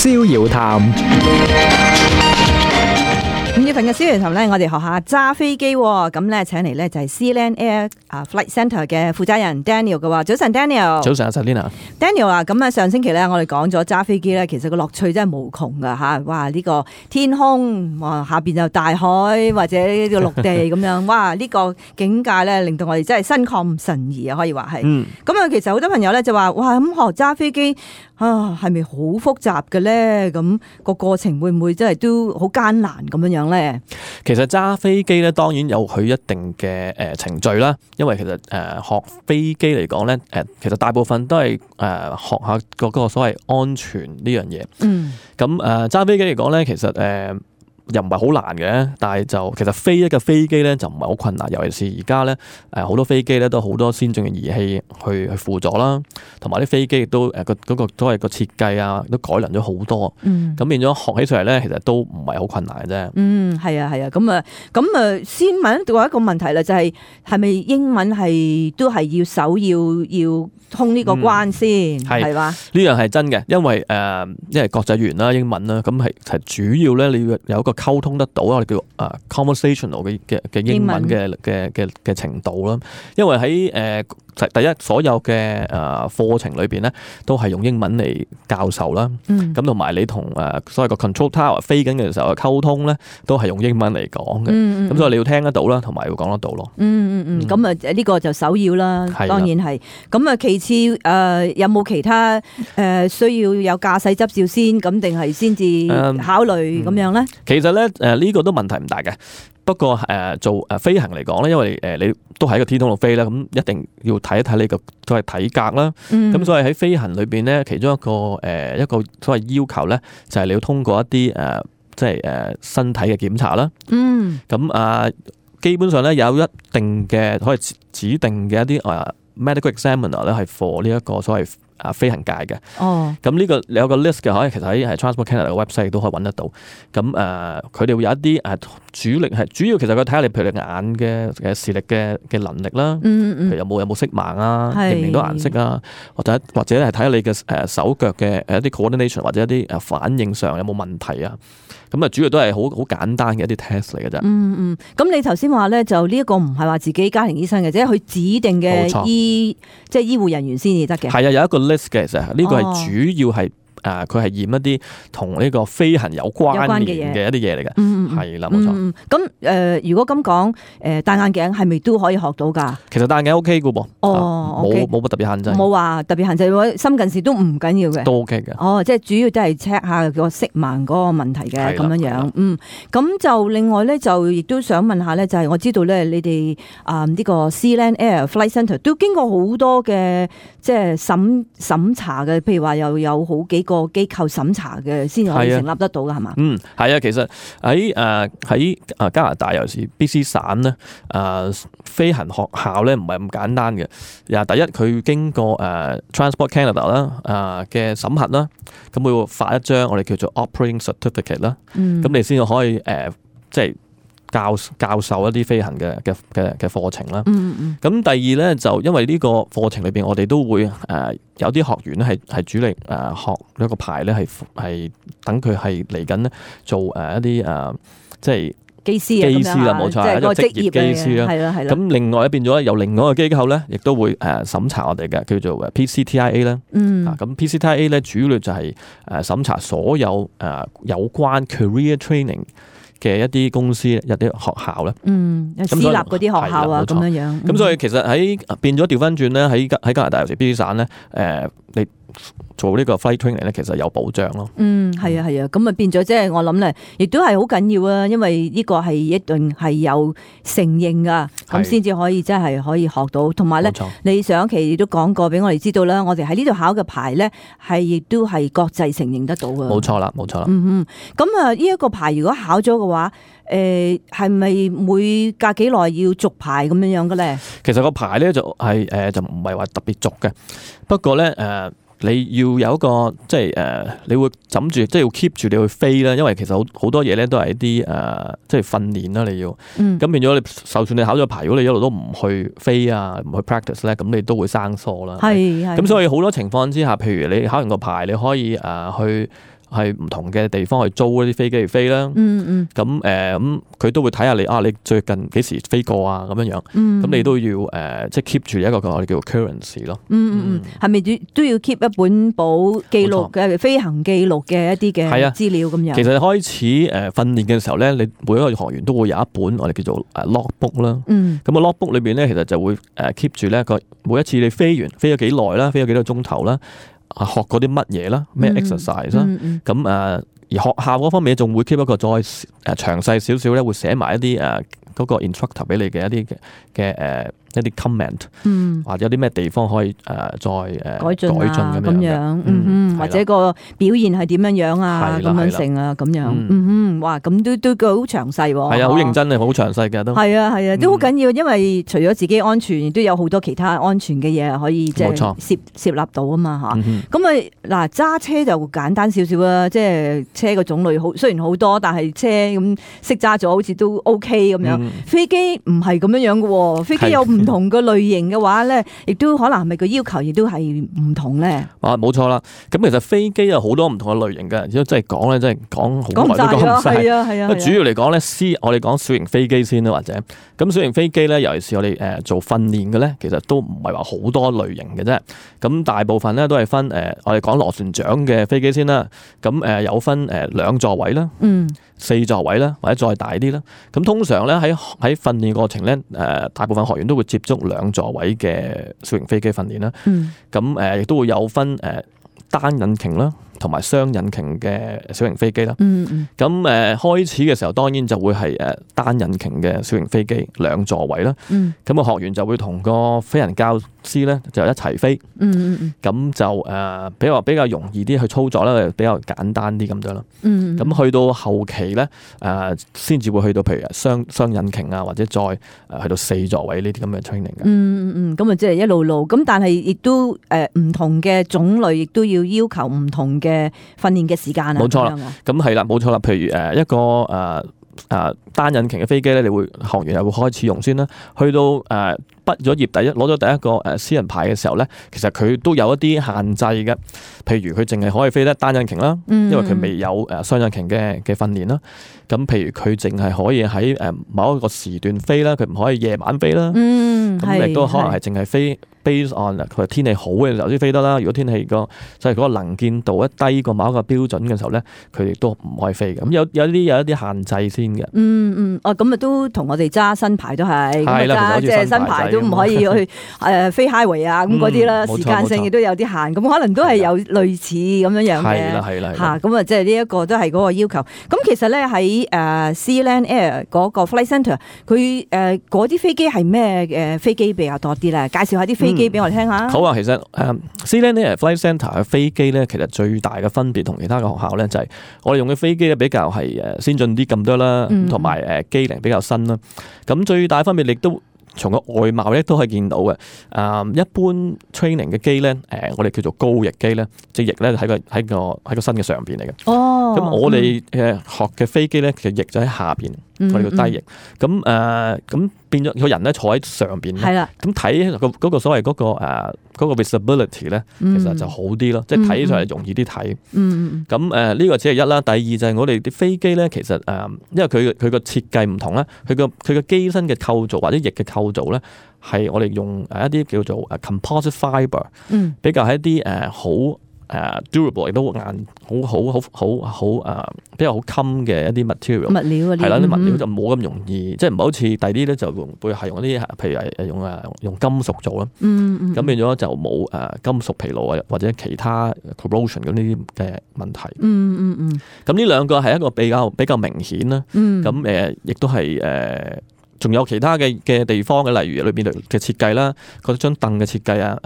逍遙談。5月份嘅逍遙談咧，我哋學下揸飛機喎，咁咧請嚟咧就係 Sealand Air Flight Centre 嘅負責人 Daniel 嘅話，早晨 Daniel。早晨啊 Selina。Daniel 啊，咁啊上星期咧我哋講咗揸飛機咧，其實個樂趣真係無窮噶吓，哇呢個天空，哇下邊就大海或者呢個陸地咁樣，哇呢個境界咧令到我哋真係心曠神怡啊，可以話係。咁啊其實好多朋友咧就話，哇咁學揸飛機啊係咪好複雜嘅咧？咁個過程會唔會真係都好艱難咁樣樣咧？其實揸飛機咧，當然有佢一定嘅程序啦。因為其實學飛機嚟講咧，其實大部分都係學下嗰個所謂安全呢樣嘢。咁揸飛機嚟講咧，其實又唔係好難嘅，但係就其實飛一架飛機咧就唔係好困難，尤其是而家咧好多飛機咧都好多先進嘅儀器去輔助啦，同埋啲飛機亦都嗰個所謂個設計啊都改良咗好多，咁變咗學起上嚟咧其實都唔係好困難嘅啫。係啊，咁啊先問過一個問題啦，就係咪英文係都係要首要通呢個關先係嘛？呢樣係真嘅，因為國際語言啦、英文啦，咁係主要咧你要有一個溝通得到我哋叫conversational 嘅英文嘅程度啦。因為喺第一所有嘅課程裏邊咧都係用英文嚟教授啦，咁同埋你同所謂個 control tower 飛緊嘅時候嘅溝通咧都係用英文嚟講嘅，咁所以你要聽得到啦，同埋要講得到咯。咁啊呢個就首要啦，當然係。咁啊其次有冇其他需要有駕駛執照先，咁定係先至考慮咁樣咧？其實咧呢個都問題唔大嘅。不過做飛行嚟講咧，因為你都喺個天空度飛啦，咁一定要睇一睇你個所謂體格啦。咁所以喺飛行裏邊咧，其中一個所謂要求咧，就係你要通過一啲身體嘅檢查啦。咁基本上咧有一定嘅可以指定嘅一啲medical examiner 咧係 for 呢一個所謂飛行界嘅。咁呢個有個 list 嘅，其實喺Transport Canada 嘅 website 都可以揾得到。咁佢哋會有一啲主要其實佢睇下你譬如你眼嘅視力嘅能力啦，譬如有冇色盲啊，認唔認到顏色啊，或者係睇下你嘅手腳嘅一啲 coordination 或者一啲反應上有冇問題啊。咁主要都係好簡單嘅一啲 test 嚟嘅啫。咁你頭先話咧，就呢一個唔係話自己家庭醫生嘅，即係佢指定嘅醫護人員先至得嘅。係啊，有一個 list 嘅，其實呢個係主要係佢係驗一啲同呢個飛行有關聯嘅一啲嘢嚟嘅。係啦，冇錯。咁如果咁講，戴眼鏡係咪都可以學到㗎？其實戴眼鏡 OK 嘅噃。冇乜特別限制。冇話特別限制，深近視都唔緊要嘅。都 OK 嘅。即係主要都係 check 下個色盲嗰個問題嘅咁樣樣。咁就另外咧，就亦都想問下咧，就係我知道咧，你哋呢個 Sealand Air Flight Centre 都經過好多嘅即係審查嘅，譬如話又有好幾個機構審查嘅先可以成立得到㗎，係嘛？係啊，其實喺加拿大尤其是 BC 省咧，飛行學校咧唔係咁簡單嘅。第一佢經過Transport Canada 啦嘅審核啦，咁佢會發一張我哋叫做 Operating Certificate 啦，咁你先可以即係教授一啲飛行嘅課程啦。咁第二咧就因為呢個課程裏邊，我哋都會有啲學員咧係主力學一個牌咧，係等佢係嚟緊咧做一啲即係機師啦，冇錯，係一個職業機師啦。係啦。咁另外變咗有另外一個機構咧，亦都會審查我哋嘅，叫做 PCTIA 啦。咁 PCTIA 咧主要就係審查所有有關 career training 嘅一啲公司、一啲學校咧，私立嗰啲學校啊，咁樣。咁所以其實喺變咗調翻轉咧，喺加拿大尤其 BC 省咧，你做呢個 flight training 咧，其實有保障咯。係啊，咁啊變咗即係我諗咧，亦都係好緊要啊，因為呢個係一定係有承認噶，咁先至可以真係可以學到。同埋咧，你上一期亦都講過俾我哋知道啦，我哋喺呢度考嘅牌咧，係亦都係國際承認得到嘅。冇錯啦。咁啊，呢一個牌如果考咗嘅話，係咪每隔幾耐要續牌咁樣嘅咧？其實個牌咧就係就唔係話特別續嘅，不過咧你要有一個即係你會枕住即係要 keep 住你去飛啦，因為其實好多嘢咧都係一啲即係訓練啦，你要咁變咗你，就算你考咗牌，如果你一路都唔去飛啊，唔去 practice 咧，咁你都會生疏啦。咁所以好多情況之下，譬如你考完個牌，你可以去唔同嘅地方去租一啲飛機去飛啦。咁佢都會睇下你最近幾時飛過啊咁樣樣。咁你都要即係 keep 住一個我哋叫做 currency 咯。係咪都要 keep 一本簿記錄嘅飛行記錄嘅一啲嘅資料咁樣？其實開始訓練嘅時候咧，你每一個學員都會有一本我哋叫做logbook 啦。咁個 logbook 裏邊咧，其實就會keep 住咧每一次你飛咗幾耐啦，飛咗幾多鐘頭啦，學過啲乜嘢啦，咩 exercise 啦。咁而學校嗰方面仲會 keep 一個再詳細少少咧，會寫埋一啲嗰個 instructor 俾你嘅一啲嘅一啲 comment，或者有啲咩地方可以再改進咁樣，或者個表現係點樣啊，咁樣成啊咁樣，哇，咁都好詳細喎。係啊，好認真嘅，好詳細嘅都。係啊，都好緊要，因為除咗自己安全，亦都有好多其他安全嘅嘢可以即係攝納到啊嘛嚇。咁啊嗱，揸車就簡單少少啦，即係車個種類雖然好多，但係車咁識揸咗好似都 OK 咁樣。飛機唔係咁樣嘅喎，飛機有唔同嘅類型嘅話咧，亦都可能係咪個要求亦都係唔同咧？冇錯啦。咁其實飛機有好多唔同嘅類型嘅，如果真係講咧，真係講好耐都講唔晒。係啊。主要嚟講咧，我哋講小型飛機先啦，或者咁小型飛機咧，尤其是我哋做訓練嘅咧，其實都唔係話好多類型嘅啫。咁大部分咧都係分我哋講螺旋槳嘅飛機先啦。咁有分2座位啦，4座位啦，或者再大啲啦。咁通常咧喺訓練過程咧，大部分學員都會接觸2座位嘅小型飛機訓練啦。咁亦都會有分單引擎啦，同埋雙引擎嘅小型飛機啦。咁開始嘅時候，當然就會係單引擎嘅小型飛機2座位啦。咁個學員就會同個飛行教師咧就一齊飛。咁就比較容易啲去操作啦，比較簡單啲咁樣啦。咁去到後期咧，先至會去到譬如雙引擎啊，或者再去到4座位呢啲咁嘅 training 嘅。咁啊，即係一路咁，但係亦都唔同嘅種類，亦都要求唔同嘅訓練嘅時間啊。冇錯啦，咁係啦，冇錯啦。譬如一個單引擎嘅飛機咧，你會學員又會開始用先啦。去到畢咗業攞咗第一個私人牌嘅時候咧，其實佢都有一啲限制嘅。譬如佢淨係可以飛得單引擎啦，因為佢未有雙引擎嘅訓練啦。咁譬如佢淨係可以喺某一個時段飛啦，佢唔可以夜晚飛啦。咁亦都可能係淨係飛 based on 佢天氣好嘅時候先飛得啦。如果天氣即係嗰個能見度一低過某一個標準嘅時候咧，佢亦都唔可以飛嘅。咁有一啲限制先嘅。咁啊都同我哋揸新牌都係。係啦，即係新牌都唔可以去飛 highway 啊咁嗰啲啦，時間性亦都有啲限。咁可能都係有類似咁樣樣嘅。係啦。嚇，咁啊即係呢一個都係嗰個要求。咁其實咧喺Sealand Air 嗰個 Flight Centre，佢嗰啲飛機係咩飛機比較多啲咧？介紹下啲飛機俾我哋聽下。好啊，其實Sealand Air Flight Centre 嘅飛機咧，其實最大嘅分別同其他嘅學校咧，就係我哋用嘅飛機咧比較係先進啲咁多啦，同埋機齡比較新啦。咁最大分別亦都從個外貌咧都可以見到嘅。一般 training 嘅機咧，我哋叫做高翼機咧，隻翼咧喺個身嘅上邊嚟嘅。咁我哋學嘅飛機咧，其實翼就喺下邊，我哋叫低翼。咁變咗個人咧坐喺上邊咧，咁睇嗰個所謂嗰個 visibility 咧，其實就好啲咯，即係睇起上嚟容易啲睇。咁呢個只係一啦，第二就係我哋啲飛機咧，其實因為佢個設計唔同啦，佢個機身嘅構造或者翼嘅構造咧，係我哋用一啲叫做composite fibre，比較係一啲好durable 亦都硬，好比較好襟嘅一啲 material 物料係啦，啲物料就冇咁容易，即係唔係好似第啲咧就會係用啲譬如係用金屬做啦，咁變咗就冇金屬疲勞或者其他 corrosion 咁呢啲嘅問題。咁呢兩個係一個比較明顯啦。咁亦都係仲有其他嘅地方嘅，例如裏邊嘅設計啦，嗰張凳嘅設計啊，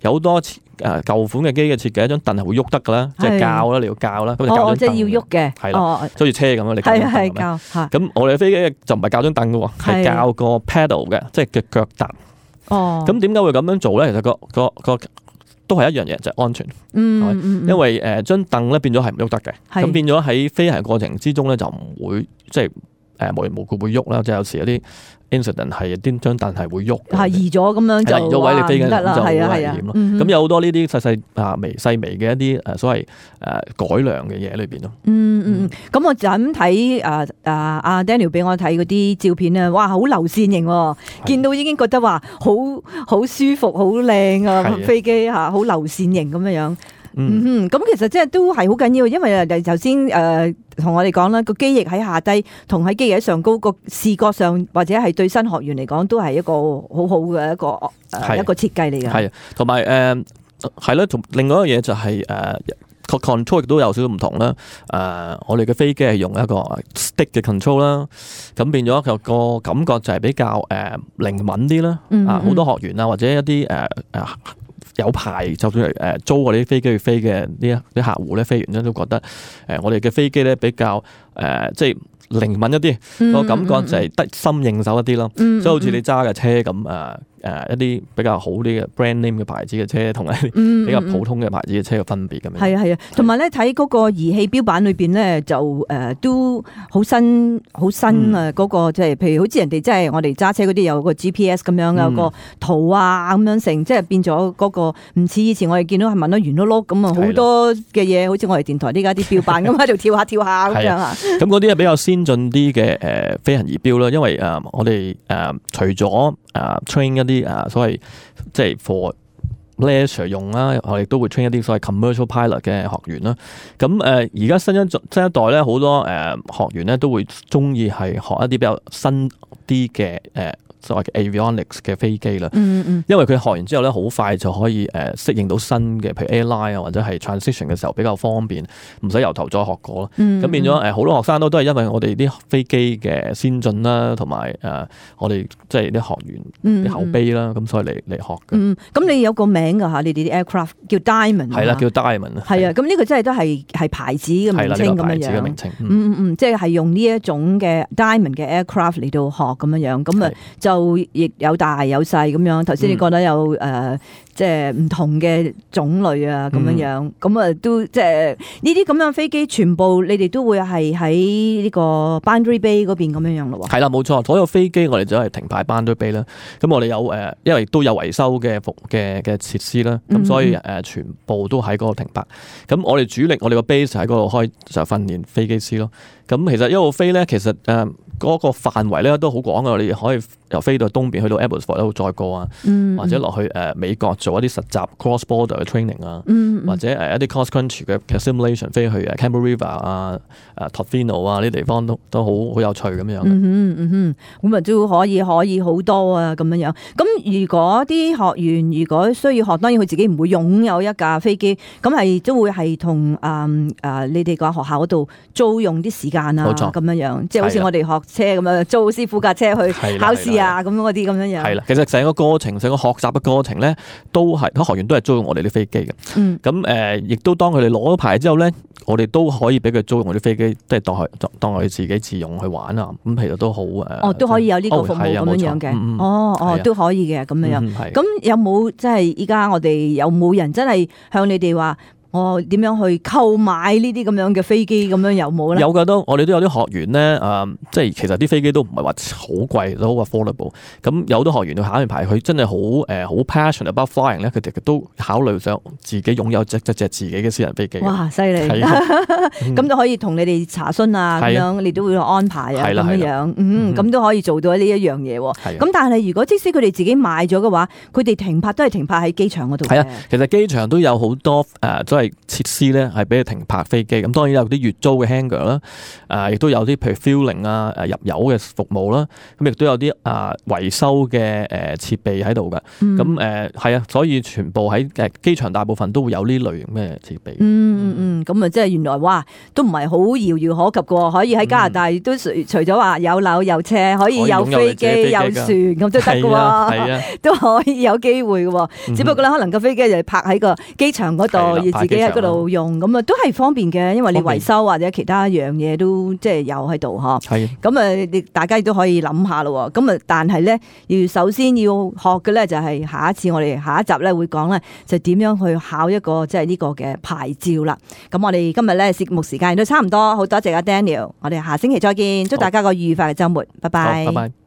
有好多舊款嘅機嘅設計，一張凳係會喐得噶啦，即係校啦，你要校啦，咁就校張凳。即係要喐嘅，係啦，好似車咁樣，你係校。咁我哋嘅飛機就唔係校張凳嘅喎，係校個 pedal 嘅，即係嘅腳踏。咁點解會咁樣做咧？其實個都係一樣嘢，就係安全。因為張凳咧變咗係唔喐得嘅，咁變咗喺飛行過程之中咧就唔會即係無緣無故會喐啦，即係有時有啲 incident 係啲張凳係會喐，係移咗咁樣就移咗位你飛緊得啦，就好危係啊係啊險咯。咁有好多呢啲細微嘅一啲所謂改良嘅嘢喺裏邊咯。咁我就咁睇阿 Daniel 俾我睇嗰啲照片咧，哇，好流線型喎，見到已經覺得話好舒服、好靚啊飛機嚇，好流線型咁樣。咁其實即係都係好緊要，因為頭先同我哋講啦，個機翼喺下低，同喺機翼喺上高，個視覺上或者係對新學員嚟講都係一個好好嘅一個設計嚟嘅。係，同埋係啦，同另外一個嘢就係個 control 亦都有少少唔同啦。我哋嘅飛機係用一個 stick 嘅 control 啦，咁變咗個感覺就係比較靈敏啲啦。好多學員啊，或者一啲有牌就算係租我哋啲飛機去飛嘅啲客戶咧，飛完之後都覺得我哋嘅飛機咧比較即係靈敏一啲，個感覺就係得心應手一啲咯。即係好似你揸嘅車咁一啲比較好啲嘅 brand name 嘅牌子嘅車，同埋比較普通嘅牌子嘅車嘅分別咁樣。係啊，同埋咧睇嗰個儀器標板裏邊咧，就都好新啊！嗰個即係譬如好似人哋即係我哋揸車嗰啲有個 GPS 咁樣，有個圖啊咁樣成，即係變咗嗰個唔似以前我哋見到係問得圓碌碌咁啊，好多嘅嘢，好似我哋電台呢家啲標板咁喺度跳下咁樣啊。咁嗰啲係比較先進啲嘅飛行儀表啦，因為我哋除咗train 一啲所謂即係 for leisure 用啦，我哋都會 train 一啲所謂 commercial pilot 嘅學員啦。咁而家新一代咧，好多學員咧都會中意係學一啲比較新啲嘅所謂嘅 avionics 嘅飛機啦。因為佢學完之後咧，好快就可以適應到新嘅，譬如 airline 啊，或者係 transition 嘅時候比較方便，唔使由頭再學過咯。咁變咗好多學生都係因為我哋啲飛機嘅先進啦，同埋我哋即係啲學員啲口碑啦，咁所以嚟學嘅。咁你有個名㗎嚇，你哋啲 aircraft 叫 Diamond。係啦，叫 Diamond。係啊，咁呢個真係都係牌子嘅名稱咁樣樣。即係用呢一種嘅 Diamond 嘅 aircraft 嚟到學咁樣樣，咁啊就亦有大有細咁樣。頭先你覺得有即係唔同嘅種類啊咁樣樣，咁啊都即係呢啲咁樣飛機，全部你哋都會係喺呢個 Boundary Bay 嗰邊咁樣樣咯喎。係啦，冇錯，所有飛機我哋就係停牌 Boundary Bay 啦。咁我哋有因為都有維修嘅設施啦，咁所以全部都喺嗰度停牌。咁我哋主力我哋個 base 喺嗰度開就訓練飛機師咯。咁其實一路飛咧，其實嗰個範圍咧都好廣嘅，我哋可以由飛到東邊去到 Abbotsford 度再過啊，或者落去美國做一啲實習 cross border 嘅 training 啊，或者一啲 cross country 嘅 simulation 飛去Canberra River 啊、Tofino 啊呢啲地方都好有趣咁樣。咁啊都可以好多啊咁樣樣。咁如果啲學員如果需要學，當然佢自己唔會擁有一架飛機，咁係都會係同你哋個學校嗰度租用啲時間啊咁樣樣，即係好似我哋學車咁樣租師傅架車去考試啊咁嗰啲咁樣樣。係啦，其實成個過程、成個學習嘅過程咧，都係學員都係租用我哋啲飛機嘅。咁亦都當佢哋攞咗牌之後咧，我哋都可以俾佢租用我啲飛機，即係當佢自己自用去玩啊。咁其實都好都可以有呢個服務咁樣樣嘅。都可以嘅咁樣樣。咁有冇即係依家我哋有冇人真係向你哋話？我點樣去購買呢啲咁樣嘅飛機咁樣有冇咧？有㗎，我哋都有啲學員咧，即係其實啲飛機都唔係話好貴，都好 affordable。咁有好多學員去考完牌，佢真係好 passionate about flying 咧，佢哋都考慮想自己擁有隻自己嘅私人飛機。哇，犀利！咁都可以同你哋查詢啊，咁樣你都會安排啊，咁樣咁都可以做到呢一樣嘢。咁但係如果即使佢哋自己買咗嘅話，佢哋停泊都係停泊喺機場嗰度。係啊，其實機場都有好多都係設施咧，係俾你停泊飛機。咁當然有啲月租嘅 hangar 啦，亦都有啲譬如 fueling 啊、入油嘅服務啦。咁亦都有啲維修嘅設備喺度㗎。咁係啊，所以全部喺機場大部分都會有呢類型嘅設備。咁啊，即係原來哇，都唔係好遙遙可及嘅，可以喺加拿大都除咗話有樓有車，可以有飛機有船咁都得嘅喎，都可以有機會嘅喎。只不過咧，可能個飛機就係泊喺個機場嗰度，要自己喺嗰度用，咁啊都係方便嘅，因為你維修或者其他樣嘢都即係有喺度嗬。係。咁啊，大家亦都可以諗下咯。咁啊，但係咧，要首先要學嘅咧，就係下一次我哋下一集咧會講咧，就點樣去考一個即係呢個嘅牌照啦。咁我哋今日咧節目時間都差唔多，好多謝阿 Daniel，我哋下星期再見，祝大家個愉快嘅週末，拜拜。好，拜拜。